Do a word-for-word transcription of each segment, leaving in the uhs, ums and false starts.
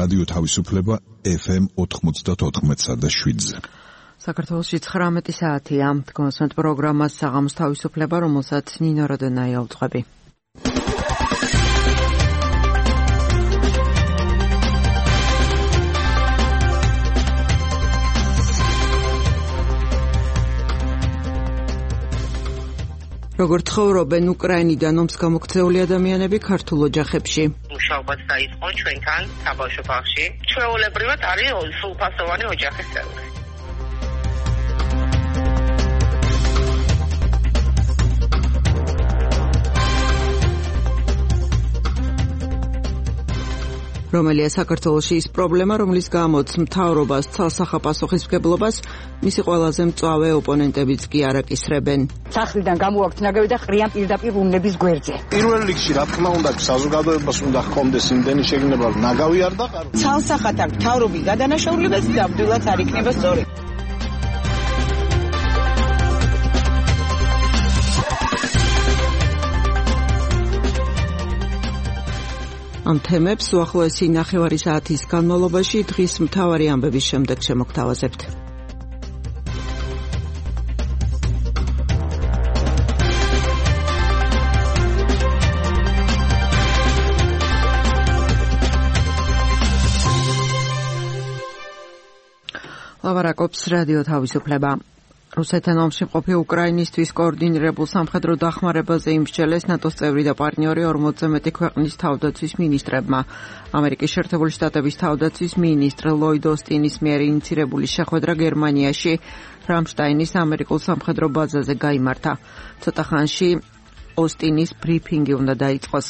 რადიო თავისუფლება ეფ ემ ოთხმოცდაოთხ და შვიდზე. საქართველოში ცხრამეტი საათია. დგომასმენთ პროგრამას საღამოს თავისუფლება, რომელსაც ნინო როდონაია უძღვები. როგორ ცხოვრობენ უკრაინიდან ომს გამოქცეული ადამიანები ქართულ ოჯახებში? მუშაობაც დაიწყო ჩვენთან საბავშვო ბაღში. ჩვეულებრივად არის სრულფასოვანი ოჯახის წევრი. რომელია საქართველოში ის პრობლემა, რომლის გამოც მთავრობას ცალსახა პასუხისმგებლობას მისი ყველაზე მწვავე ოპონენტებიც კი არ აკისრებენ. სახლიდან გამოვაქვთ ნაგავი და ყრიან პირდაპირ უნების გვერდზე. პირველ რიგში რა თქმა უნდა საზოგადოებას უნდა ჰქონდეს იმდენი შეგნება რომ ნაგავი არ დაყარო. ცალსახად აქ მთავრობის გადანაშაულებაც ნამდვილად არ იქნება სწორი. ამ თემებს უახლოესი ნახევარი საათის განმავლობაში დღის მთავარი ამბების შემდეგ შემოგთავაზებთ. ლავარაკობს რადიო თავისუფლება. რუსეთთან ომში მყოფი უკრაინისთვის კოორდინირებულ სამხედრო დახმარებაზე იმსჯელეს ნატოს წევრი და პარტნიორი ორმოცზე მეტი ქვეყნის თავდაცვის მინისტრებმა. ამერიკის შეერთებული შტატების თავდაცვის მინისტრ ლოიდ ოსტინის მიერ ინიცირებული შეხვედრა გერმანიაში რამშტაინის ამერიკულ სამხედრო ბაზაზე გაიმართა. ცოტა ხანში ოსტინის ბრიფინგი უნდა დაიწყოს.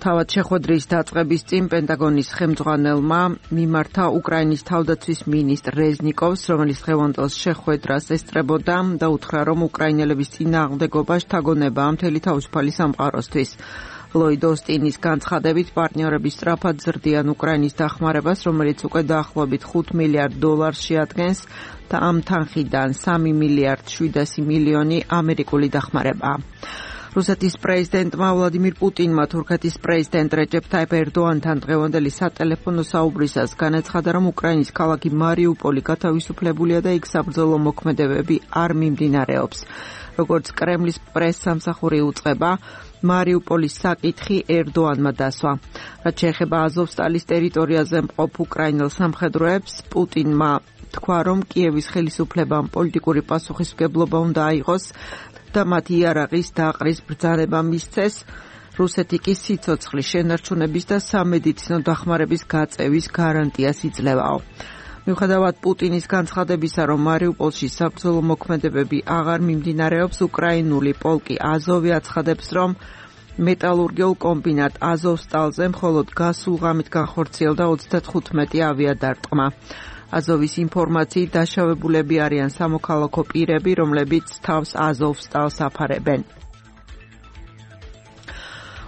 თავად შეხვედრის დაწყების წინ პენტაგონის ხელმძღვანელმა მიმართა უკრაინის თავდაცვის მინისტრ რეზნიკოვს, რომელიც დღევანდელ შეხვედრას ესწრებოდა და უთხრა, რომ უკრაინელების წინააღმდეგობა შთაგონებაა მთელი თავისუფალი სამყაროსთვის. ლოიდ ოსტინის განცხადებით პარტნიორები სწრაფად ზრდიან უკრაინის დახმარებას, რომელიც უკვე დაახლოებით ხუთ მილიარდ დოლარს შეადგენს და ამ თანხიდან სამი მილიარდ შვიდასი მილიონი ამერიკული დახმარებაა. რუსეთის პრეზიდენტმა ვლადიმირ პუტინმა თურქეთის პრეზიდენტ რეჯეფ ტაიპ ერდოანთან დღევანდელი სატელეფონო საუბრისას განაცხადა, რომ უკრაინის ქალაქი მარიუპოლი გათავისუფლებულია და იქ საბრძოლო მოქმედებები არ მიმდინარეობს. როგორც კრემლის პრეს-სამსახური უწყება, მარიუპოლის საკითხი ერდოანმა დასვა. რაც შეეხება აზოვსტალის ტერიტორიაზე მყოფ უკრაინელ სამხედროებს, პუტინმა თქვა, რომ კიევის ხელისუფლებამ პოლიტიკური პასუხისმგებლობა უნდა აიღოს და მათ იარაღის დაყრის ბრძანება მისცეს, რუსეთი კი სიცოცხლის შენარჩუნების და სამედიცინო დახმარების გაწევის გარანტიას იძლევაო. მიუხედავად პუტინის განცხადებისა, რომ მარიუპოლში საბრძოლო მოქმედებები აღარ მიმდინარეობს, უკრაინული პოლკი აზოვი აცხადებს, რომ მეტალურგიულ კომბინატ აზოვსტალზე მხოლოდ გასულ ღამით განხორციელდა ოცდათხუთმეტი ავიადარტყმა. აზოვის ინფორმაციით დაშავებულები არიან სამოქალაქო პირები, რომლებიც თავს აზოვსტალს აფარებენ.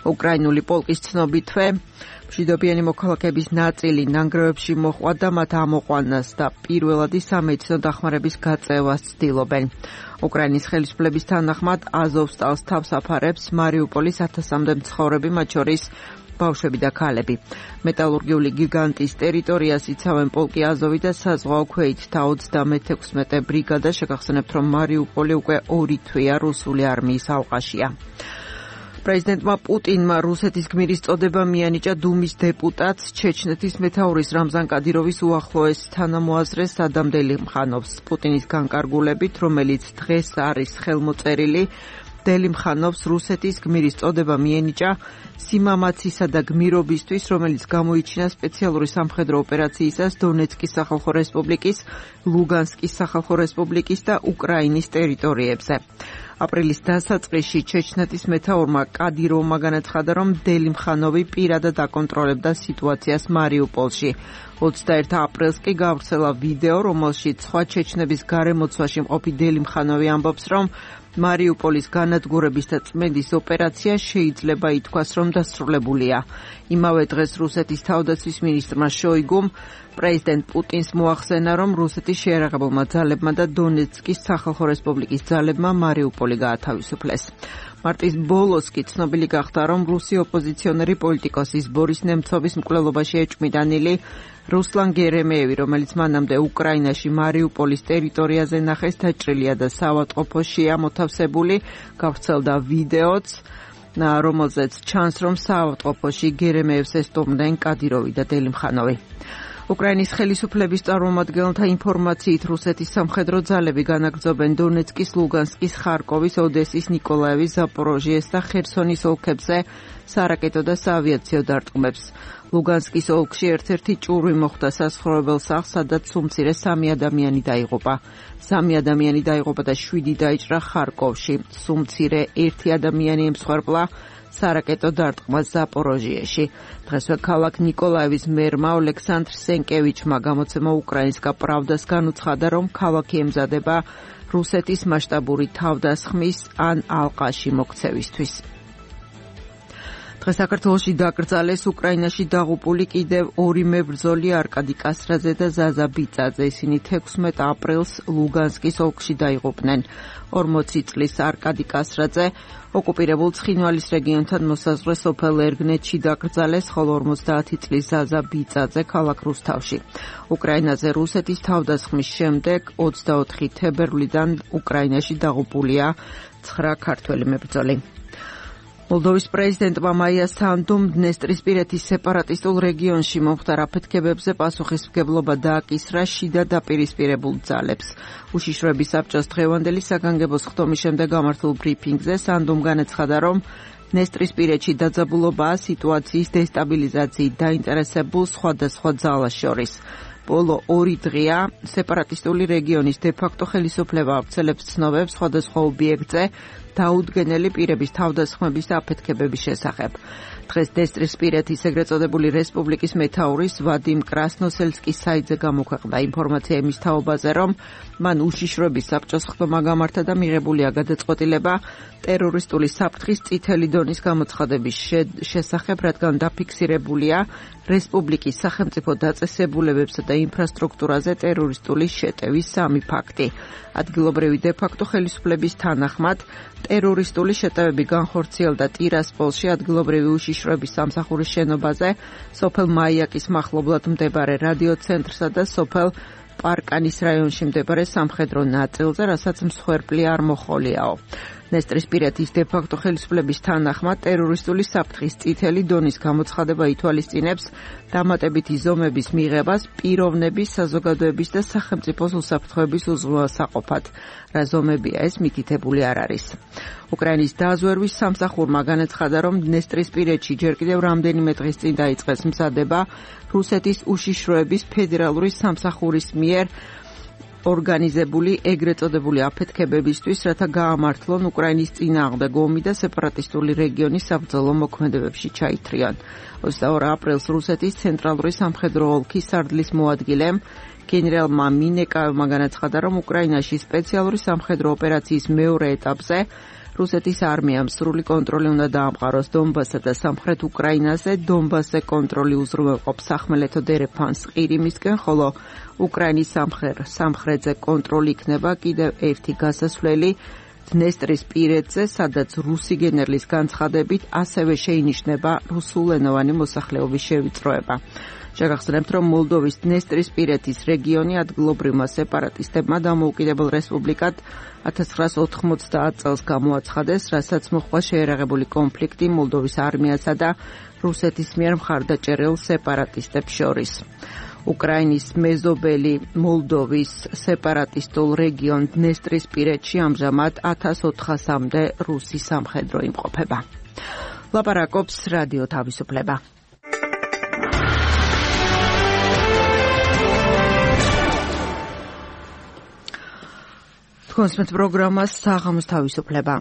უკრაინული პოლკის ცნობითვე მშვიდობიანი მოქალაქეების ნაწილი ნანგრევებში მოჰყვა და მათ ამოყვანას და პირველადი სამედიცინო დახმარების გაწევას ცდილობენ. უკრაინის ხელისუფლების თანახმად აზოვსტალს თავს აფარებს მარიუპოლის ათასამდე მცხოვრები, მათ შორის ბავშვები და ქალები. მეტალურგიული გიგანტის ტერიტორიას იცავენ პოლკი აზოვი და საზღვაო ქვეითთა ოცდამეთექვსმეტე ბრიგადა. შეგახსენებთ, რომ მარიუპოლი უკვე ორი თვეა რუსული არმიის ალყაშია. პრეზიდენტმა პუტინმა რუსეთის გმირის წოდება მიანიჭა დუმის დეპუტატს, ჩეჩნეთის მეთაურის რამზან კადიროვის უახლოეს თანამოაზრეს ადამ დელიმხანოვს. პუტინის განკარგულებით, რომელიც დღეს არის ხელმოწერილი, დელიმხანოვს რუსეთის გმირის წოდება მიენიჭა სიმამაცისა და გმირობისთვის, რომელიც გამოიჩინა სპეციალური სამხედრო ოპერაციისას დონეცკის სახალხო რესპუბლიკის, ლუგანსკის სახალხო რესპუბლიკის და უკრაინის ტერიტორიებზე. აპრილის დასაწყისში ჩეჩნეთის მეთაურმა კადიროვმა განაცხადა, რომ დელიმხანოვი პირადად აკონტროლებდა სიტუაციას მარიუპოლში. ოცდაერთი აპრილს კი გავრცელა ვიდეო, რომელშიც სხვა ჩეჩნების გარემოცვაში მყოფი დელიმხანოვი ამბობს, რომ მარიუპოლის განადგურების და წმენდის ოპერაცია შეიძლება ითქვას, რომ დასრულებულია. იმავე დღეს რუსეთის თავდაცვის მინისტრმა შოიგუმ პრეზიდენტ პუტინს მოახსენა, რომ რუსეთის შეიარაღებულმა ძალებმა და დონეცკის სახალხო რესპუბლიკის ძალებმა მარიუპოლი გაათავისუფლეს. მარტის ბოლოს კი ცნობილი გახდა, რომ რუსი ოპოზიციონერი პოლიტიკოსის ბორის ნემცოვის მკვლელობაში ეჭვმიტანილი რუსლან გერემეევი, რომელიც მანამდე უკრაინაში მარიუპოლის ტერიტორიაზე ნახეს, დაჭრილია და საავადმყოფოშია მოთავსებული, გავრცელდა ვიდეოც, რომელზეც ჩანს, რომ საავადმყოფოში გერემეევს ესტუმრნენ კადიროვი და დელიმხანოვი. უკრაინის ხელისუფლების წარმომადგენელთა ინფორმაციით რუსეთის სამხედრო ძალები განაგრძობენ დონეცკის, ლუგანსკის, ხარკოვის, ოდესის, ნიკოლაევის, ზაპოროჟიეს და ხერსონის ოლქებზე სარაკეტო და საავიაციო დარტყმებს. ლუგანსკის ოლქში ერთ-ერთი ჭურვი მოხვდა სასაცხოვრებელ სახლს, სადაც უმცირე სამი ადამიანი დაიღუპა. სამი ადამიანი დაიღუპა და შვიდი დაიჭრა ხარკოვში. უმცირე ერთი ადამიანი ემსხვერპლა სარაკეტო დარტყმას ზაპოროჟიეში. დღესვე ქალაქ ნიკოლაევის მერმა ოლექსანდრ სენკევიჩმა გამოცემა უკრაინსკა პრავდას განუცხადა, რომ ქალაქი ემზადება რუსეთის მასშტაბური თავდასხმის ან ალყაში მოქცევისთვის. დღეს საქართველოში დაკრძალეს უკრაინაში დაღუპული კიდევ ორი მებრძოლი არკადი კასრაძე და ზაზა ბიწაძე. ისინი თექვსმეტ აპრილს ლუგანსკის ოლქში დაიღუპნენ. ორმოცი წლის არკადი კასრაძე ოკუპირებულ ცხინვალის რეგიონთან მოსაზღვრე სოფელ ერგნეთში დაკრძალეს, ხოლო ორმოცდაათი წლის ზაზა ბიწაძე ქალაქ რუსთავში. უკრაინაზე რუსეთის თავდასხმის შემდეგ ოცდაოთხი თებერვლიდან უკრაინაში დაღუპულია ცხრა ქართველი მებრძოლი. მოლდოვის პრეზიდენტმა მაია სანდუმ დნესტრისპირეთის სეპარატისტულ რეგიონში მომხდარ აფეთქებებზე პასუხისმგებლობა დააკისრა შიდა დაპირისპირებულ ძალებს. უშიშროების საბჭოს დღევანდელი საგანგებო სხდომის შემდეგ გამართულ ბრიფინგზე სანდუმ განაცხადა, რომ დნესტრისპირეთში დაძაბულობაა სიტუაციის დესტაბილიზაციით დაინტერესებულ სხვადასხვა ძალას შორის. ბოლო ორი დღეა სეპარატისტული რეგიონის დე-ფაქტო ხელისუფლება ავრცელებს ცნობებს სხვადასხვა ობიექტზე დაუდგენელი პირების თავდასხმების და აფეთქებების შესახებ. დღეს დნესტრისპირეთის ეგრეთ წოდებული რესპუბლიკის მეთაურის ვადიმ კრასნოსელსკის საიტზე გამოქვეყნდა ინფორმაცია იმის თაობაზე, რომ მან უშიშროების საბჭოს ხდომა გამართა და მიღებულია გადაწყვეტილება ტერორისტული საფრთხის წითელი დონის გამოცხადების შესახებ, რადგან დაფიქსირებულია რესპუბლიკის სახელმწიფო დაწესებულებებსა და ინფრასტრუქტურაზე ტერორისტული შეტევის სამი ფაქტი. ადგილობრივი დე-ფაქტო ხელისუფლების თანახმად ტერორისტული შეტევები განხორციელდა ტირასპოლში ადგილობრივი უშიშროების სამსახურის შენობაზე, სოფელ მაიაკის მახლობლად მდებარე რადიოცენტრსა და სოფელ პარკანის რაიონში მდებარე სამხედრო ნაწილზე, რასაც მსხვერპლი არ მოხოლიაო. დნესტრისპირეთის დე-ფაქტო ხელისუფლების თანახმად ტერორისტული საფრთხის წითელი დონის გამოცხადება ითვალისწინებს დამატებითი ზომების მიღებას პიროვნების, საზოგადოების და სახელმწიფოს უსაფრთხოების უზრუნველსაყოფად. რა ზომებია ეს, მითითებული არ არის. უკრაინის დაზვერვის სამსახურმა განაცხადა, რომ დნესტრისპირეთში ჯერ კიდევ რამდენიმე დღის წინ დაიწყეს მზადება რუსეთის უშიშროების ფედერალური სამსახურის მიერ ორგანიზებული ეგრეთ წოდებული აფეთქებებისთვის, რათა გაამართლონ უკრაინის წინააღმდეგ ომი და სეპარატისტული რეგიონის საბრძოლო მოქმედებებში ჩაითრიონ. ოცდაორი აპრილს რუსეთის ცენტრალური სამხედრო ოლქის სარდლის მოადგილემ გენერალმა მინეკავმა განაცხადა, რომ უკრაინაში სპეციალური სამხედრო ოპერაციის მეორე ეტაპზე რუსეთის არმიამ სრული კონტროლი უნდა დაამყაროს დონბასსა და სამხრეთ უკრაინაზე. დონბასზე კონტროლი უზრუნველყოფს სახმელეთო დერეფანს ყირიმისკენ, ხოლო უკრაინის სამხრეთზე კონტროლი იქნება კიდევ ერთი გასასვლელი დნესტრისპირეთზე, სადაც რუსი გენერლის განცხადებით ასევე შეინიშნება რუსულენოვანი მოსახლეობის შევიწროება. შეგახსენებთ, რომ მოლდოვის დნესტრისპირეთის რეგიონი ადგილობრივმა სეპარატისტებმა დამოუკიდებელ რესპუბლიკად ათას ცხრაას ოთხმოცდაათ წელს გამოაცხადეს, რასაც მოჰყვა შეერაღებული კონფლიქტი მოლდოვის არმიასა და რუსეთის მიერ მხარდაჭერილ სეპარატისტებს შორის. უკრაინის მეზობელი მოლდოვის სეპარატისტულ რეგიონ დნესტრისპირეთში ამჟამად ათას ოთხასამდე რუსი სამხედრო იმყოფება. ლაპარაკობს რადიო თავისუფლება. კონსმეთ პროგრამას საღამოს თავისუფლება.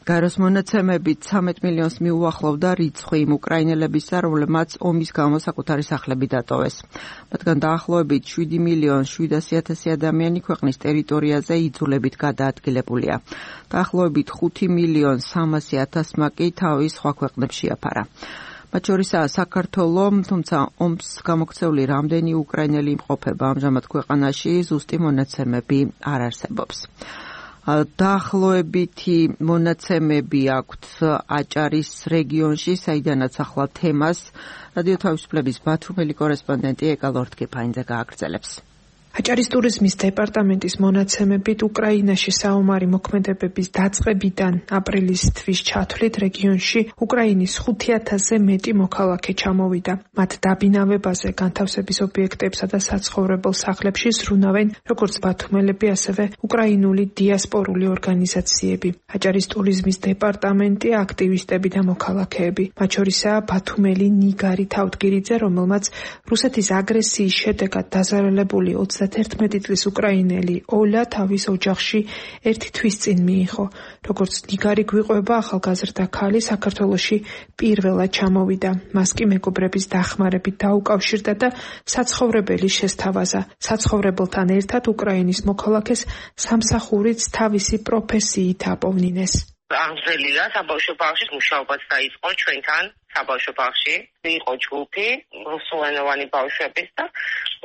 გაროს მონაცემებით ცამეტ მილიონს მიუახლოვდა რიცხვი იმ უკრაინელებისა, რომლებმაც ომის გამო საკუთარი სახლები დატოვეს. მათგან დაახლოებით შვიდი მილიონი შვიდასი ათასი ადამიანი ქვეყნის ტერიტორიაზე იძულებით გადაადგილებულია. დაახლოებით ხუთი მილიონი სამასი ათასმა კი თავის სხვა ქვეყნებს შეაფარა. მათ შორისაა საქართველო, თუმცა ომს გამოქცეული რამდენი უკრაინელი იმყოფება ამჟამად ქვეყანაში, ზუსტი მონაცემები არ არსებობს. დაახლოებითი მონაცემები აქვთ აჭარის რეგიონში, საიდანაც ახლა თემას რადიო თავისუფლების ბათუმელი კორესპონდენტი ეკა ლორთგიფაინძე გააგრძელებს. აჭარის ტურიზმის დეპარტამენტის მონაცემებით უკრაინაში საომარი მოქმედებების დაწყებიდან აპრილის თვის ჩათვლით რეგიონში უკრაინის ხუთი ათასზე მეტი მოქალაქე ჩამოვიდა. მათ დაბინავებაზე, განთავსების ობიექტებსა და საცხოვრებელ სახლებში ზრუნავენ როგორც ბათუმელები, ასევე უკრაინული დიასპორული ორგანიზაციები. აჭარის ტურიზმის დეპარტამენტი, აქტივისტები და მოქალაქეები. მათ შორისაა ბათუმელი ნიგარი თავდგირიძე, რომელმაც რუსეთის აგრესიის შედეგად დაზარალებული ოცდაერთმეტი წლის უკრაინელი ოლა თავის ოჯახში ერთი თვის წინ მიიღო. როგორც ნიგარი გვიყვება, ახალგაზრდა ქალი საქართველოში პირველად ჩამოვიდა. მას კი მეგობრების დახმარებით დაუკავშირდა და საცხოვრებელი შესთავაზა. საცხოვრებელთან ერთად უკრაინის მოქალაქეს სამსახურიც თავისი პროფესიით აპოვნინეს. აღზრდილია საბავშვო ბაღში მუშაობაც დაიწყო ჩვენთან საბავშვო ბაღში. იყო ჯგუფი რუსულენოვანი ბავშვების და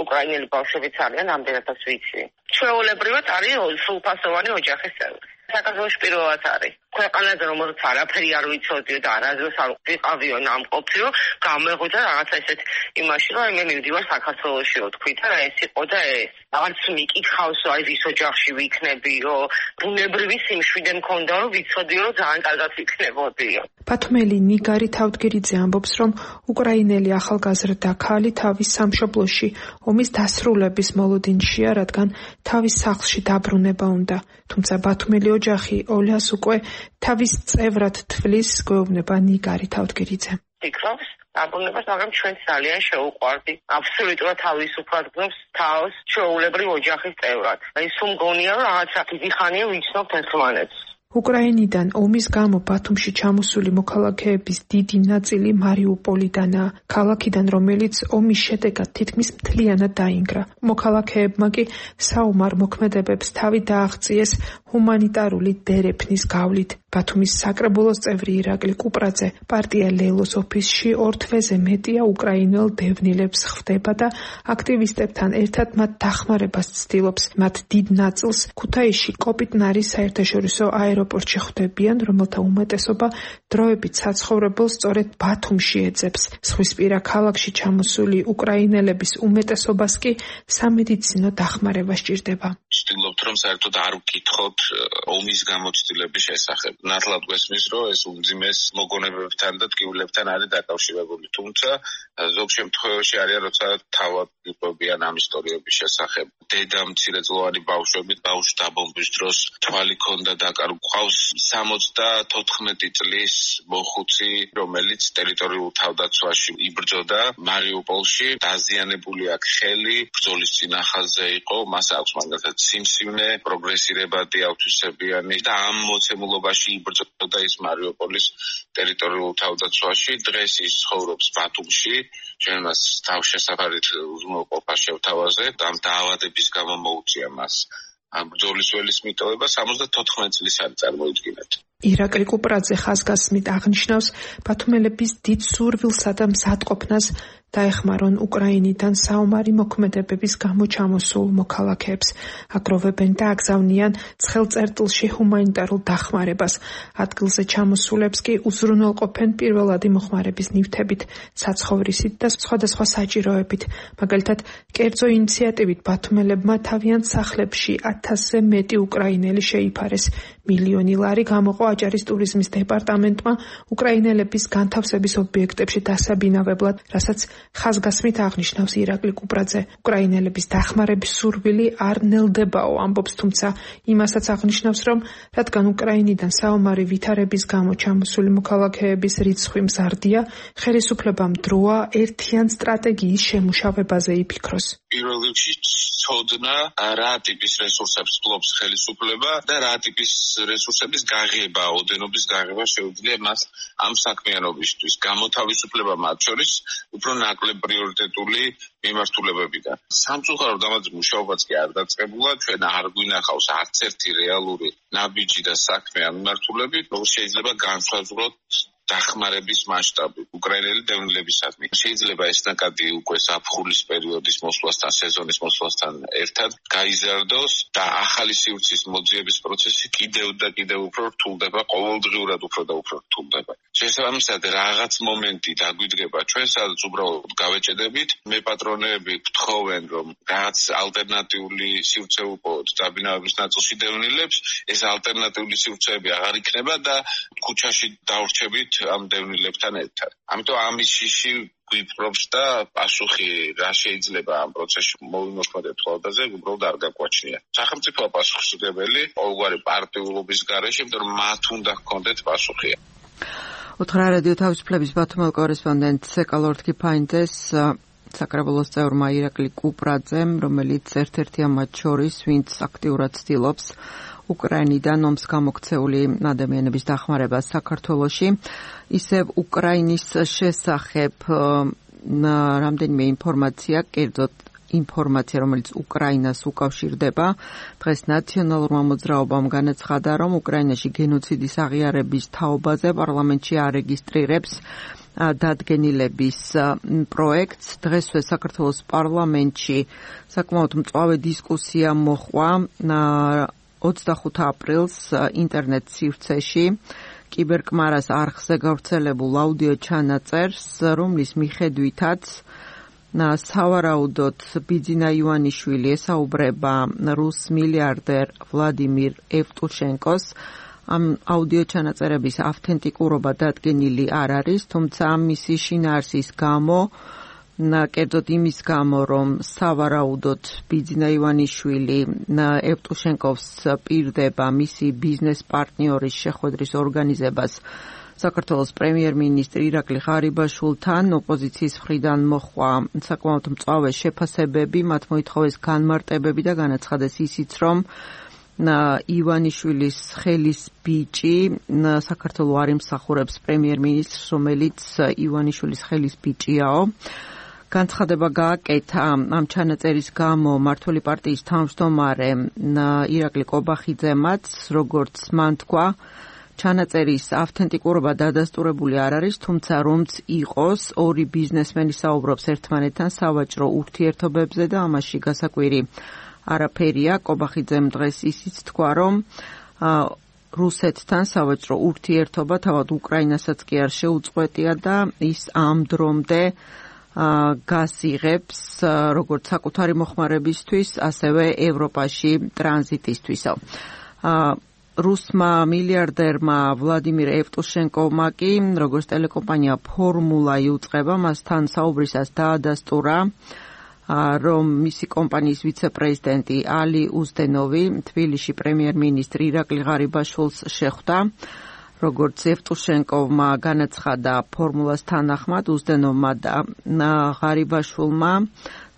უკრაინელი ბავშვებიც არიან, ამდენადაც ვიცი. ჩვეულებრივად არის სრულფასოვანი ოჯახის წევრი. საქართველოში პირველად არის. ქვეყანაზე რომელიც არაფერი არ ვიცოდიო და არასდროს არ ვიყავიო ნამყოფიო, გამეღვიძა რაღაცა ესეთ იმაში, რომ მე მივდივარ საქართველოშიო თქვი და ეს იყო და ეს. არც მიკითხავსო, აი ვის ოჯახში ვიქნებიო, ბუნებრივი სიმშვიდე მქონდა, რომ ვიცოდიო, რომ ძალიან კარგად ვიქნებოდიო. ბათუმელი ნიგარი თავდგირიძე ამბობს, რომ უკრაინელი ახალგაზრდა ქალი თავის სამშობლოში ომის დასრულების მოლოდინშია, რადგან თავის სახლში დაბრუნება უნდა. თუმცა ბათუმელი ოჯახი ოლას უკვე თავის წევრად თვლის, გვეუბნება ნიგარი თავდგირიძე. ფიქრობს დაბრუნებას, მაგრამ ჩვენ ძალიან შეუყვარდი. აბსოლუტურად თავისუფლად გნობს თავს ჩვეულებრივ ოჯახის წევრად. აი სულ მგონია, რომ რაღაცა დიდი ხანია ვიცნობთ ერთმანეთს. უკრაინიდან ომის გამო ბათუმში ჩამოსული მოქალაქეების დიდი ნაწილი მარიუპოლიდანაა, ქალაქიდან რომელიც ომის შედეგად თითქმის მთლიანად დაინგრა. მოქალაქეებმა კი საომარ მოქმედებებს თავი დააღწიეს ჰუმანიტარული დერეფნის გავლით. ბათუმის საკრებულოს წევრი ირაკლი კუპრაძე პარტია ლელოს ოფისში ორ თვეზე მეტია უკრაინელ დევნილებს ხვდება და აქტივისტებთან ერთად მათ დახმარებას ცდილობს. მათ დიდ ნაწილს ქუთაისში კოპიტნარის საერთაშორისო აეროპორტში ხვდებიან, რომელთა უმეტესობა დროებით საცხოვრებელს სწორედ ბათუმში ეძებს. ზღვისპირა ქალაქში ჩამოსული უკრაინელების უმეტესობას კი სამედიცინო დახმარება სჭირდება. ვცდილობთ, რომ საერთოდ არ ვკითხოთ ომის გამოცდილების შესახებ. ნათლად გვესმის, რომ ეს უმძიმეს მოგონებებთან და ტკივილებთან არის დაკავშირებული. თუმცა ზოგ შემთხვევაში არიან, როცა თავად ვიყვებიან ამ ისტორიების შესახებ. დედა მცირეწლოვანი ბავშვები ბავშვ დაბომბვის დროს თვალი ქონდა დაკარგული. ყავს სამოცდათოთხმეტი წლის მოხუცი, რომელიც ტერიტორიულ თავდაცვაში იბრძოდა მარიუპოლში. დაზიანებული აქვს ხელი, ბრძოლის წინახაზე იყო, მას აქვს მაგალითად სიმსივნე, პროგრესირებადი ავთვისებიანი და ამ მოცემულობაში იბრძოდა ის მარიუპოლის ტერიტორიულ თავდაცვაში. დღეს ის ცხოვრობს ბათუმში. ჩვენ მას თავშესაფარით უზრუნველყოფა შევთავაზებთ. ამ დაავადების გამო მოუწია მას ამ ბრძოლის ველის მიტოვება სამოცდათოთხმეტი წლის არის, წარმოიდგინეთ. ირაკლი კუპრაძე ხაზგასმით აღნიშნავს ბათუმელების დიდ სურვილსა და მზადყოფნას დაეხმარონ უკრაინიდან საომარი მოქმედებების გამო ჩამოსულ მოქალაქეებს. აგროვებენ და აგზავნიან ცხელ წერტილში ჰუმანიტარულ დახმარებას. ადგილზე ჩამოსულებს კი უზრუნველყოფენ პირველადი მოხმარების ნივთებით, საცხოვრისით და სხვადასხვა საჭიროებით. მაგალითად, კერძო ინიციატივით ბათუმელებმა თავიანთ სახლებში ათასზე მეტი უკრაინელი შეიფარეს. მილიონი ლარი გამოყო აჭარის ტურიზმის დეპარტამენტმა უკრაინელების განთავსების ობიექტებში დასაბინავებლად, რასაც ხაზგასმით აღნიშნავს ირაკლი კუპრაძე. უკრაინელების დახმარების სურვილი არ ნელდებაო, ამბობს, თუმცა იმასაც აღნიშნავს, რომ რადგან უკრაინიდან საომარი ვითარების გამო ჩამოსული მოქალაქეების რიცხვი მზარდია, ხელისუფლებამ დროა ერთიან სტრატეგიის შემუშავებაზე იფიქროს. პირველ რიგში ცოდნა, რა ტიპის რესურსებს ფლობს ხელისუფლება და რა ტიპის რესურსების გაღება, ოდენობის გაღება შეუძლია მას ამ საქმიანობისთვის. გამოთავისუფლება მათ შორის უფრო ნაკლებ პრიორიტეტული მიმართულებებიდან. სამწუხაროდ ამაზე მუშაობაც კი არ დაწყებულა, ჩვენ არ გვინახავს არც ერთი რეალური ნაბიჯი და საქმე ამ მიმართულებით, როგორ შეიძლება განსაზღვროთ დახმარების მასშტაბი უკრაინელი დევნილებისადმი. შეიძლება ეს ნაკადი უკვე საფხულის პერიოდის მოსვლასთან, სეზონის მოსვლასთან ერთად გაიზარდოს და ახალი სივრცის მოძიების პროცესი კიდევ და კიდევ უფრო რთულდება, ყოველდღიურად უფრო და უფრო რთულდება. შესაბამისად, რაღაც მომენტი დაგვიდგება ჩვენ, სადაც უბრალოდ გავეჭედებით, მე პატრონები გთხოვენ, რომ რაღაც ალტერნატიული სივრცე უყოთ დაბინავების ნაწილში დევნილებს, ეს ალტერნატიული სივრცეები აღარ იქნება და ქუჩაში დავრჩებით ამ დევნილებთან ერთად. ამიტომ ამის შიში გვიპყრობს და პასუხი რა შეიძლება ამ პროცესში მოვიმოქმედოთ ხალხაზე, უბრალოდ არ გაგვაჩნია. სახელმწიფო პასუხისმგებელი ყოველგვარი პარტიულობის გარეშე, იმიტომ რომ მათ უნდა ჰქონდეთ პასუხი. უთხრა რადიო თავისუფლების ბათუმელ კორესპონდენტ ეკალორდ კიფაინძეს საკრებულოს წევრმა ირაკლი კუპრაძემ, რომელიც ერთ-ერთია მათ შორის, ვინც აქტიურად ცდილობს უკრაინიდან ომს გამოქცეული ადამიანების დახმარებას საქართველოში, ისევ უკრაინის შესახებ რამდენიმე ინფორმაცია, კერძოდ ინფორმაცია, რომელიც უკრაინას უკავშირდება. დღეს ნაციონალურმა მოძრაობამ განაცხადა, რომ უკრაინაში გენოციდის აღიარების თაობაზე პარლამენტში არეგისტრირებს დადგენილების პროექტს. დღესვე საქართველოს პარლამენტში საკმაოდ მწვავე დისკუსია მოხდა ოცდახუთ აპრილს ინტერნეტ სივრცეში კიბერკმარას არხზე გავრცელებულ აუდიო ჩანაწერს, რომლის მიხედვითაც სავარაუდოდ ბიძინა ივანიშვილი ესაუბრება რუს მილიარდერ ვლადიმირ ევტუშენკოს. ამ აუდიო ჩანაწერების ავთენტიკურობა დადგენილი არ არის, თუმცა მისი შინაარსის გამო, კერძოდ იმის გამო, რომ სავარაუდოდ ბიძინა ივანიშვილი ევტუშენკოს პირდება მისი ბიზნეს პარტნიორის შეხვედრის ორგანიზებას საქართველოს პრემიერ-მინისტრი ირაკლი ღარიბაშვილთან, ოპოზიციის მხრიდან მოხდა საკმაოდ მწვავე შეფასებები, მათ მოითხოვეს განმარტებები და განაცხადეს ისიც, რომ ივანიშვილის ხელის ბიჭი საქართველოს არ იმსახურებს პრემიერ-მინისტრს, რომელიც ივანიშვილის ხელის ბიჭიაო. განცხადება გააკეთა ამ ჩანაწერის გამო მმართველი პარტიის თავმჯდომარე ირაკლი კობახიძემაც, როგორც მან თქვა, ჩანაწერის ავთენტიკურობა დადასტურებული არ არის, თუმცა რომც იყოს, ორი ბიზნესმენი საუბრობს ერთმანეთთან სავაჭრო ურთიერთობებზე და ამაში გასაკვირი არაფერია. კობახიძემ დღეს ისიც თქვა, რომ რუსეთთან სავაჭრო ურთიერთობა თავად უკრაინასაც კი არ შეუწყვეტია და ის ამ დრომდე გასიღებს როგორც საკუთარი მოხმარებისთვის, ასევე ევროპაში ტრანზიტისთვისო. რუსმა მილიარდერმა ვლადიმირ ევტუშენკოვმა კი, როგორც ტელეკომპანია ფორმულა იუწყება, მასთან საუბრისას დაადასტურა, რომ მისი კომპანიის ვიცე-პრეზიდენტი ალი უზდენოვი თბილისში პრემიერ-მინისტრი ირაკლი ღარიბაშვილს შეხვდა. როგორც ევტუშენკოვმა განაცხადა ფორმულას თანახმად, უზდენოვმა და ღარიბაშვილმა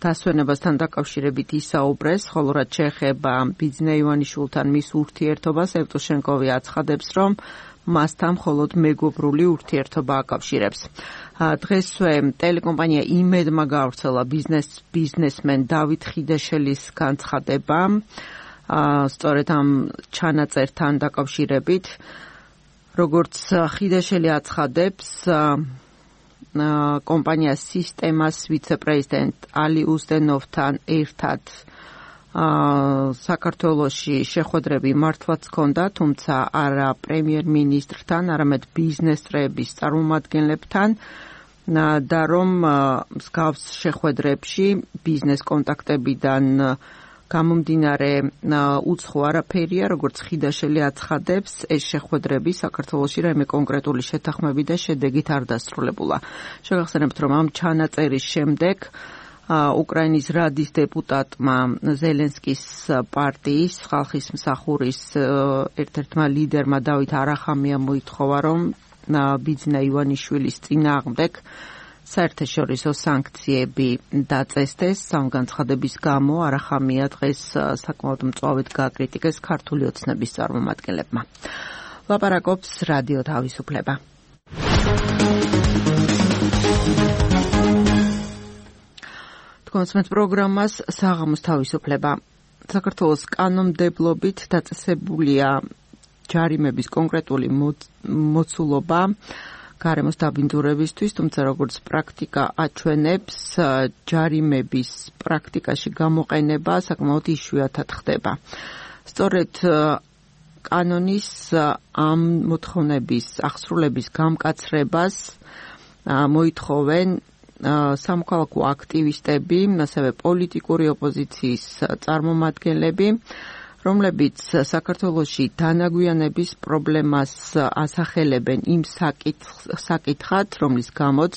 დასვენებასთან დაკავშირებით ისაუბრეს, ხოლო რაც შეეხება ბიძინა ივანიშვილთან მის ურთიერთობას, ევტუშენკოვი აცხადებს, რომ მასთან მხოლოდ მეგობრული ურთიერთობა აკავშირებს. დღესვე ტელეკომპანია იმედმა გაავრცელა ბიზნეს ბიზნესმენ დავით ხიდაშელის განცხადება, სწორედ ამ ჩანაწერთან დაკავშირებით. როგორც ხიდაშელი აცხადებს, კომპანიას სისტემას ვიცე-პრეზიდენტ ალი უზდენოვთან ერთად საქართველოში შეხვედრები მართვაც ჰქონდა, თუმცა არა პრემიერ-მინისტრთან, არამედ ბიზნესწრეების წარმომადგენლებთან და რომ მსგავს შეხვედრებში ბიზნეს კონტაქტებიდან გამომდინარე უცხო არაფერია, როგორც ხიდაშელი აცხადებს, ეს შეხვედრები საქართველოში რაიმე კონკრეტული შეთანხმები და შედეგით არ დასრულებულა. შეგახსენებთ, რომ ამ ჩანაწერის შემდეგ უკრაინის რადის დეპუტატმა ზელენსკის პარტიის ხალხის მსახურის ერთ-ერთმა ლიდერმა დავით არახამიამ მოითხოვა, რომ ბიძინა ივანიშვილის წინააღმდეგ საერთაშორისო სანქციები დაწესდეს. ამ განცხადების გამო არახამია დღეს საკმაოდ მწვავედ გააკრიტიკეს ქართული ოცნების წარმომადგენლებმა. ლაპარაკობს რადიო თავისუფლება. თქვენს პროგრამას საღამოს თავისუფლება. საქართველოს კანონმდებლობით დაწესებულია ჯარიმების კონკრეტული მოცულობა გარემოს დაბინძურებისთვის, თუმცა როგორც პრაქტიკა აჩვენებს, ჯარიმების პრაქტიკაში გამოყენება საკმაოდ იშვიათად ხდება. სწორედ კანონის ამ მოთხოვნების აღსრულების გამკაცრებას მოითხოვენ სამოქალაქო აქტივისტები, ასევე პოლიტიკური ოპოზიციის წარმომადგენლები, რომლებიც საქართველოში დანაგვიანების პრობლემას ასახელებენ იმ საკითხად, რომლის გამოც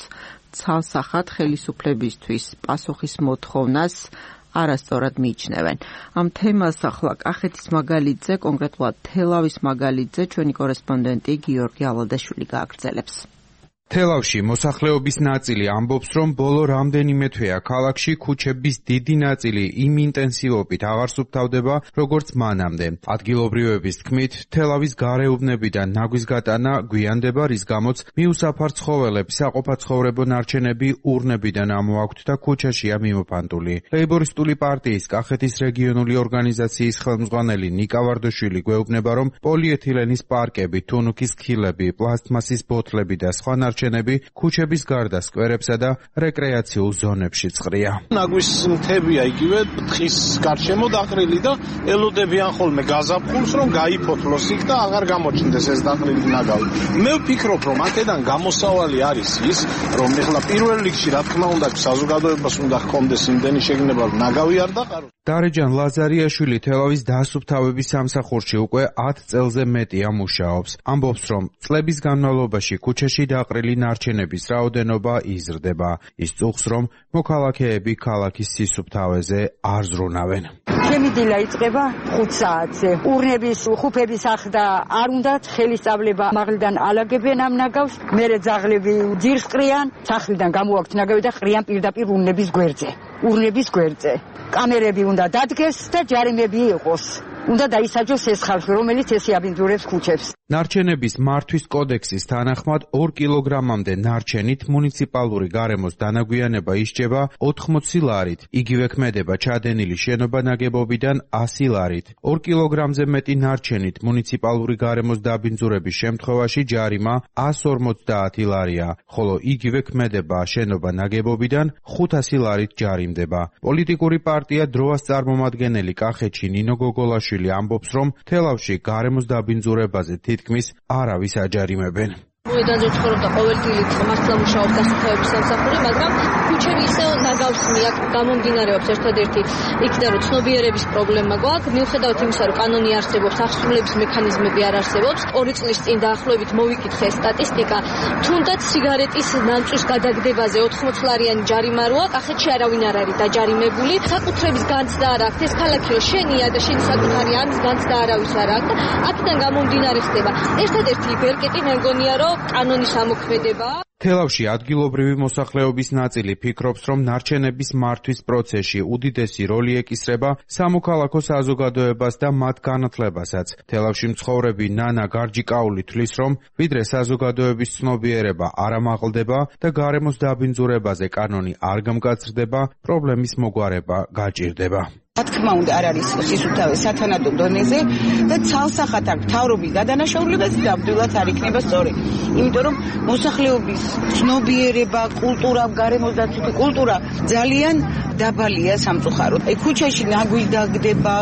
ცალსახად ხელისუფლებისთვის პასუხის მოთხოვნას არასწორად მიიჩნევენ. ამ თემას ახლა კახეთის მაგალითზე, კონკრეტულად თელავის მაგალითზე, ჩვენი კორესპონდენტი გიორგი ალადაშვილი გააგრძელებს. თელავში მოსახლეობის ნაწილი ამბობს, რომ ბოლო რამდენიმე თვეა ქალაქში ქუჩების დიდი ნაწილი იმ ინტენსივობით აღარ სუფთავდება, როგორც მანამდე. ადგილობრივების თქმით, თელავის გარეუბნებიდან ნაგვის გატანა გვიანდება, რის გამოც მიუსაფარ ცხოველებს საყოფაცხოვრებო ნარჩენები ურნებიდან ამოაქვთ და ქუჩაშია მიმოფანტული. ლეიბორისტული პარტიის კახეთის რეგიონული ორგანიზაციის ხელმძღვანელი ნიკა ვარდოშვილი გვეუბნება, რომ პოლიეთილენის პარკები, თუნუქის ქილები, პლასტმასის ბოთლები და სხვა ნარჩენები ქუჩების გარდა სკვერებსა და რეკრეაციულ ზონებშიც ყრია. ნაგვის მთებია იგივე თხის გარშემო დაყრილი და ელოდებიან ხოლმე გაზაფხულს, რომ გაიფოთლოს იქ და აღარ გამოჩნდეს ეს დაყრილი ნაგავი. მე ვფიქრობ, რომ აქედან გამოსავალი არის ის, რომ ეხლა პირველ რიგში რა თქმა უნდა საზოგადოებას უნდა ჰქონდეს იმდენი შეგნება, რომ ნაგავი არ დაყაროს. დარეჯან ლაზარიაშვილი თელავის დასუფთავების სამსახურში უკვე ათ წელზე მეტია მუშაობს. ამბობს, რომ წლების განმავლობაში ქუჩაში დაყრილი ნარჩენების რაოდენობა იზრდება. ის წუხს, რომ მოქალაქეები ქალაქის სისუფთავეზე არ ზრუნავენ. ჩემი დილა იწყება ხუთ საათზე. ურნების, ხუფების ახდა არ უნდათ ხელისწავლება მაღლიდან ალაგებენ ამ ნაგავს, მერე ძაღლები ძირს ყრიან, სახლიდან გამოვაქვთ ნაგავი და ყრიან პირდაპირ ურნების გვერდზე. ურნების გვერდზე. კამერები უნდა დადგეს და ჯარიმები იყოს. უნდა დაისაჯოს ეს ხალხი, რომელიც ესე აბინძურებს ქუჩებს. ნარჩენების მართვის კოდექსის თანახმად ორ კილოგრამამდე ნარჩენით მუნიციპალური გარემოს დანაგვიანება ისჯება ოთხმოცი ლარით. იგივე ქმედება ჩადენილი შენობა ნაგებობიდან ასი ლარით. ორ კილოგრამზე მეტი ნარჩენით მუნიციპალური გარემოს დაბინძურების შემთხვევაში ჯარიმა ას ორმოცდაათი ლარია, ხოლო იგივე ქმედება შენობა ნაგებობიდან ხუთასი ლარით ჯარიმდება. პოლიტიკური პარტია დროას წარმომადგენელი კახეთში ნინო გოგოლაშვილი ამბობს, რომ თელავში გარემოს დაბინძურებაზე თითქმის არავის აჯარიმებენ. მოედანზე ცხოვრობდა ყოველდღიურად მართლა მუშაობს დასუფთავების სამსახური, მაგრამ ქუჩები ისევ ნაგავს მიაქვს, გამომდინარეობს ერთადერთი იქიდან რომ ცნობიერების პრობლემა გვაქვს, მიუხედავად იმისა, რომ კანონი არსებობს, აღსრულების მექანიზმები არ არსებობს. ორი წლის წინ დაახლოებით მოვიკითხე სტატისტიკა, თუნდაც სიგარეტის ნამწვის გადაგდებაზე ოთხმოცი ლარიანი ჯარიმა როა, კახეთში არავინ არ არის დაჯარიმებული. საკუთრების განცდა არ აქვს, ეს ქალაქი რომ შენია და შენი საკუთარი, ამის განცდა არავის არ აქვს. აქედან გამომდინარე ხდება ერთადერთი ბერკეტი მე მგონია, რომ კანონის ამოქმედება. თელავში ადგილობრივი მოსახლეობის ნაწილი ფიქრობს, რომ ნარჩენების მართვის პროცესში უდიდესი როლი ეკისრება სამოქალაქო საზოგადოებას და მათ განათლებასაც. თელავში მცხოვრები ნანა გარჯიკაული თვლის, რომ ვიდრე საზოგადოების ცნობიერება არ ამაღლდება და გარემოს დაბინძურებაზე კანონი არ გამკაცრდება, პრობლემის მოგვარება გაჭირდება. რა თქმა უნდა არ არის სისუფთავე სათანადო დონეზე და ცალსახად აქ მთავრობის გადანაშაულებაც ნამდვილად არ იქნება სწორი. იმიტომ რომ მოსახლეობის ცნობიერება, კულტურა, გარემოს დაცვითი კულტურა ძალიან დაბალია სამწუხაროდ. აი ქუჩაში ნაგვი დაგდება,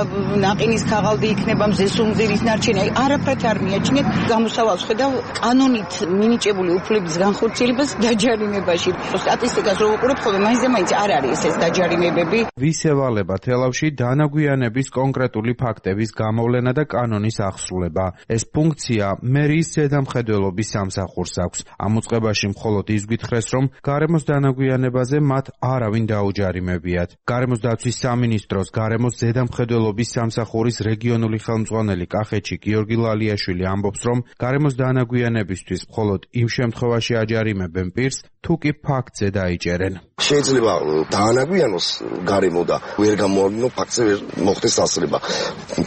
ნაყინის ქაღალდი იქნება, მზესუმზირის ნარჩენი, აი არაფრად არ მიაჩნიათ. გამოსავალს ხედავ კანონით მინიჭებული უფლების განხორციელებას დაჯარიმებაში. სტატისტიკას რო ვუყურებ, ხოლმე მაინც და მაინც არ არის ეს დაჯარიმებები. ვისევალება თელავში დანაგვიანების კონკრეტული ფაქტების გამოვლენა და კანონის აღსრულება. ეს ფუნქცია მერიის ზედამხედველობის სამსახურს აქვს. ამ უწყებაში მხოლოდ ის გითხრეს, რომ გარემოს დანაგვიანებაზე მათ არავინ დაუჯარიმებიათ. გარემოს დაცვის სამინისტროს გარემოს ზედამხედველობის სამსახურის რეგიონული ხელმძღვანელი კახეთში გიორგი ლალიაშვილი ამბობს, რომ გარემოს დანაგვიანებისთვის მხოლოდ იმ შემთხვევაში აჯარიმებენ პირს, თუ კი ფაქტზე დაიჭერენ. შეიძლება დაანაგვიანოს გარემო და ვერ გამოავლინო ფაქტზე ვერ მოხდეს დასწრება.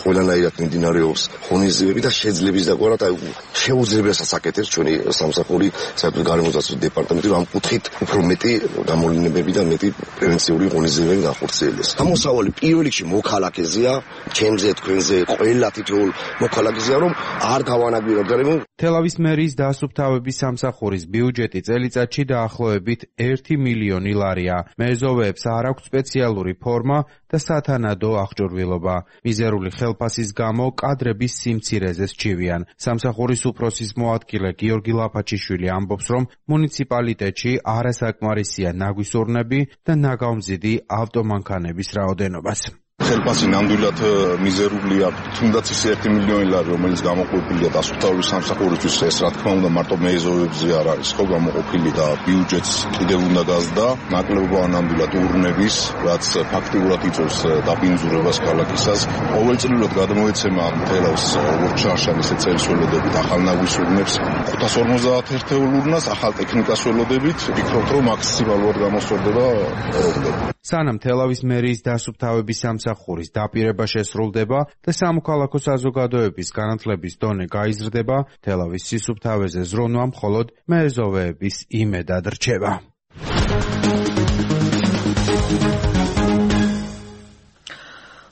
ყველანაირად მიმდინარეობს ღონისძიებები და შეძლების დაგვარად აი შეუძლებელსაც აკეთებს ჩვენი სამსახური საერთოდ გარემოსდაცვის დეპარტამენტი, რომ ამ კუთხით უფრო მეტი გამოვლენებები და მეტი პრევენციული ღონისძიებები განხორციელდეს. გამოსავალი პირველ რიგში მოქალაქეზეა, ჩემზე, თქვენზე, ყველა თითოეულ მოქალაქეზეა, რომ არ გავანაგვიროთ გარემო. თელავის მერის დასუფთავების სამსახურის ბიუჯეტი წელიწადში დაახლოებით ერთი მილიონი ლარია. მეზოვეებს არ აქვს სპეციალური ფორმა და სათანადო აღჭურვილობა. მიზერული ხელფასის გამო კადრების სიმცირეზე სჩივიან. სამსახურის უფროსის მოადგილე გიორგი ლაფაჩიშვილი ამბობს, რომ მუნიციპალიტეტში არასაკმარისია ნაგვის ურნები და ნაგავმზიდი ავტომანქანების რაოდენობას. ხელფასი ნამდვილად მიზერული აქვს, თუნდაც ის ერთი მილიონი ლარი, რომელიც გამოყოფილია დასუფთავების სამსახურისთვის, ეს რა თქმა უნდა მარტო მეზოვებზე არ არის, ხო, გამოყოფილი და ბიუჯეტს კიდევ უნდა გაზრდა, ნაკლებობა ნამდვილად ურნების, რაც ფაქტიურად იწვევს დაბინძურებას ქალაქისას. ყოველწლიურად გადმოეცემა თელავს როგორც შარშან, ისე წელის ველოდებით ახალ ნაგვის ურნებს, ხუთას ორმოცდაათ ერთეულ ურნას ახალ ტექნიკას ველოდებით, ვფიქრობ, რომ მაქსიმალურად გამოსწორდება პროგრამა. სანამ თელავის მერის დასუფთავების სამსახურის დაპირება შესრულდება და სამოქალაქო საზოგადოების განათლების დონე გაიზრდება, თელავის სისუფთავეზე ზრუნვა მხოლოდ მეზოვეების იმედად რჩება.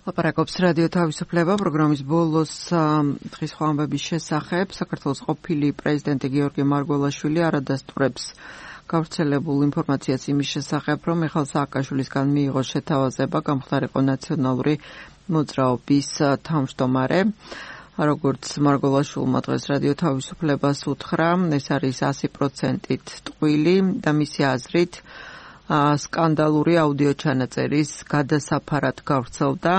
ლაპარაკობს რადიო თავისუფლება პროგრამის ბოლოს დღის სხვა ამბების შესახებ. საქართველოს ყოფილი პრეზიდენტი გიორგი მარგველაშვილი არადასტურებს გავრცელებულ ინფორმაციას იმის შესახებ, რომ მიხეილ სააკაშვილისგან მიიღო შეთავაზება გამხდარიყო ნაციონალური მოძრაობის თავმჯდომარე. როგორც მარგველაშვილმა დღეს რადიო თავისუფლებას უთხრა, ეს არის ასი პროცენტით ტყვილი და მისი აზრით სკანდალური აუდიო ჩანაწერის გადასაფარად გავრცელდა.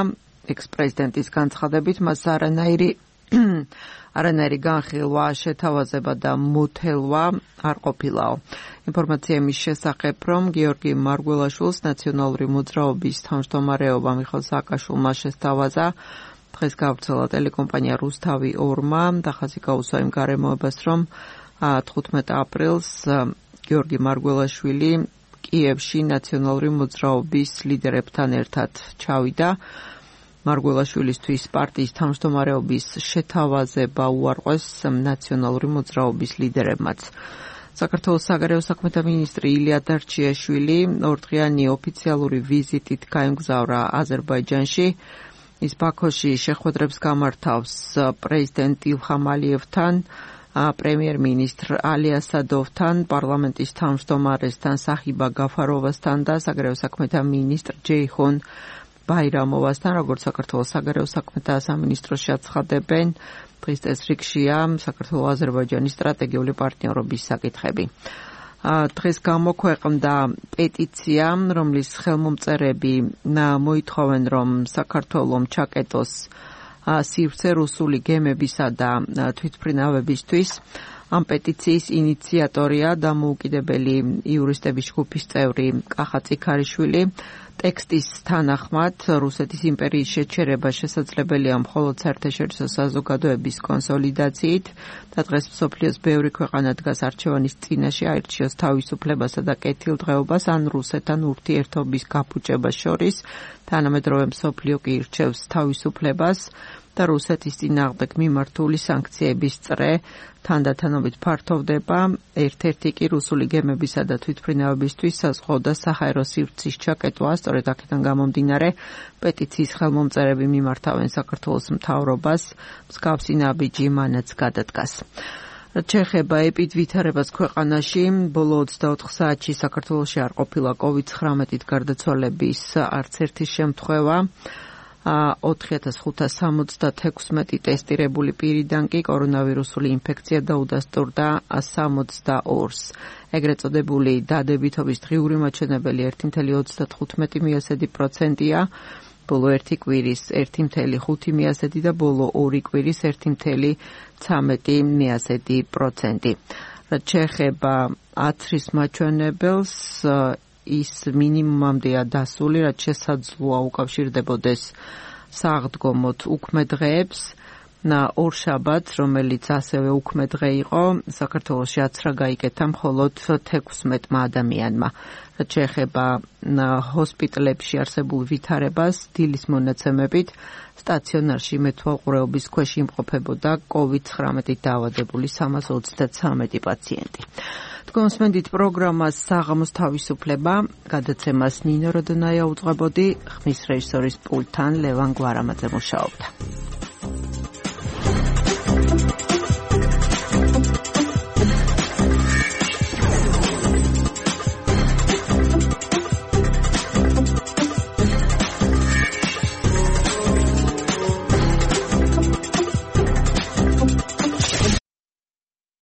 ექს-პრეზიდენტის განცხადებით, მას არანაირი არანაირი განხილვა, შეთავაზება და მოთელვა არ ყოფილაო. ინფორმაცია იმის შესახებ, რომ გიორგი მარგველაშვილს ნაციონალური მოძრაობის თავმჯდომარეობა მიხეილ სააკაშვილმა შესთავაზა, დღეს გავრცელა ტელეკომპანია რუსთავი ორმა და ხაზი გაუსვა იმ გარემოებას, რომ თხუთმეტ აპრილს გიორგი მარგველაშვილი კიევში ნაციონალური მოძრაობის ლიდერებთან ერთად ჩავიდა. მარგველაშვილისთვის პარტიის თავმჯდომარეობის შეთავაზება უარყვეს ნაციონალური მოძრაობის ლიდერებმაც. საქართველოს საგარეო საქმეთა მინისტრი ილია დარჩიაშვილი ორდღიანი ოფიციალური ვიზიტით გაემგზავრა აზერბაიჯანში. ის ბაქოში შეხვედრებს გამართავს პრეზიდენტ ილჰამ ალიევთან, პრემიერ-მინისტრ ალი ასადოვთან, პარლამენტის თავმჯდომარესთან საჰიბა გაფაროვასთან და საგარეო საქმეთა მინისტრ ჯეიჰონ ბაირამოვასთან, როგორც საქართველოს საგარეო საქმეთა სამინისტროში აცხადებენ, დღის წესრიგშია საქართველოს-აზერბაიჯანის სტრატეგიული პარტნიორობის საკითხები. დღეს გამოქვეყნდა პეტიცია, რომლის ხელმომწერები მოითხოვენ, რომ საქართველომ ჩაკეტოს სივრცე რუსული გემებისა და თვითმფრინავებისთვის. ამ პეტიციის ინიციატორია დამოუკიდებელი იურისტების ჯგუფის წევრი კახა წიქარიშვილი. ტექსტის თანახმად, რუსეთის იმპერიის შეჩერება შესაძლებელია მხოლოდ საერთაშორისო საზოგადოების კონსოლიდაციით და დღეს მსოფლიოს ბევრი ქვეყანა დგას არჩევანის წინაშე აირჩიოს თავისუფლებასა და კეთილდღეობას ან რუსეთთან ურთიერთობის გაფუჭებას შორის. თანამედროვე მსოფლიო კი ირჩევს თავისუფლებას და რუსეთის წინააღმდეგ მიმართული სანქციების წრე თანდათანობით ფართოვდება. ერთ-ერთი კი რუსული გემებისა და თვითმფრინავებისთვის საზღვაო და საჰაერო სივრცის ჩაკეტვა. სწორედ აქედან გამომდინარე, პეტიციის ხელმომწერები მიმართავენ საქართველოს მთავრობას, მსგავსი ნაბიჯი მანაც გადადგას. რაც შეეხება ეპიდვითარებას ქვეყანაში, ბოლო ოცდაოთხ საათში საქართველოში არ ყოფილა კოვიდ ცხრამეტით გარდაცვალების არც ერთი შემთხვევა. ოთხი ათას ხუთას სამოცდათექვსმეტი ტესტირებული პირიდან კი კორონავირუსული ინფექცია დაუდასტურდა სამოცდაორს. ეგრეთ წოდებული დადებითობის დღიური მაჩვენებელი ერთი წუთი ოცდათხუთმეტი მიასედი პროცენტია, ბოლო ერთი კვირის ერთი წუთი ხუთი მიასედი და ბოლო ორი კვირის ერთი წუთი ცამეტი მიასედი პროცენტი. რაც შეეხება აცრის მაჩვენებელს, ის მინიმუმამდეა დასული, რაც შესაძლოა უკავშირდებოდეს საღდგომოთ უქმე დღეებს. ორშაბათს, რომელიც ასევე უქმე დღე იყო, საქართველოში აცრა გაიკეთა მხოლოდ თექვსმეტმა ადამიანმა. რაც შეეხება ჰოსპიტალებში არსებულ ვითარებას, დილის მონაცემებით სტაციონარში მეთვალყურეობის ქვეშ იმყოფებოდა კოვიდ ცხრამეტით დაავადებული სამას ოცდათსამეტი პაციენტი. თქვენსმენდით პროგრამას საღამოს თავისუფლება, გადაცემას ნინო როდონაია უძღვებოდი, ხმის რეჟისორის პულტთან ლევან გვარამაძე მუშაობდა.